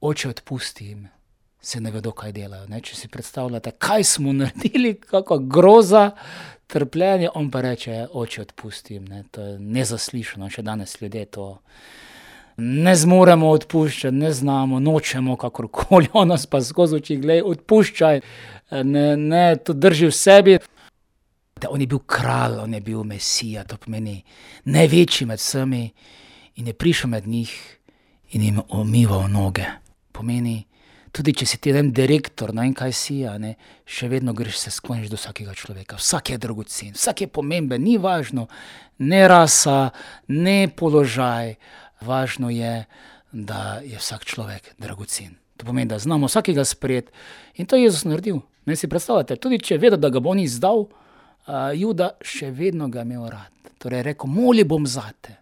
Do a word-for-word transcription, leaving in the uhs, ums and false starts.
oče odpusti jim, se ne vedo, kaj delajo. Ne? Če si predstavljate, kaj smo naredili, kakva groza, trpljenje, on pa reče, oče odpusti jim. Ne? To je nezaslišano, še danes ljudje to ne zmoremo odpuščati, ne znamo, nočemo kakorkoli, on nas pa skozi oči, glej, odpuščaj, ne, ne, to drži v sebi. On je bil kralj, on je bil mesija, to pomeni največji med vsemi in je prišel med njih in jim umival noge. Pomeni, tudi če si ti en direktor, ne vem kaj si, ne, še vedno greš se skloniš do vsakega človeka. Vsak je dragocen, vsak je pomemben, ni važno, ne rasa, ne položaj, važno je, da je vsak človek dragocen. To pomeni, da znamo vsakega sprejeti in to je Jezus naredil. Ne si predstavljate, tudi če je vedel, da ga bo on izdal, uh, Juda še vedno ga imel rad. Torej je rekel, molil bom zate.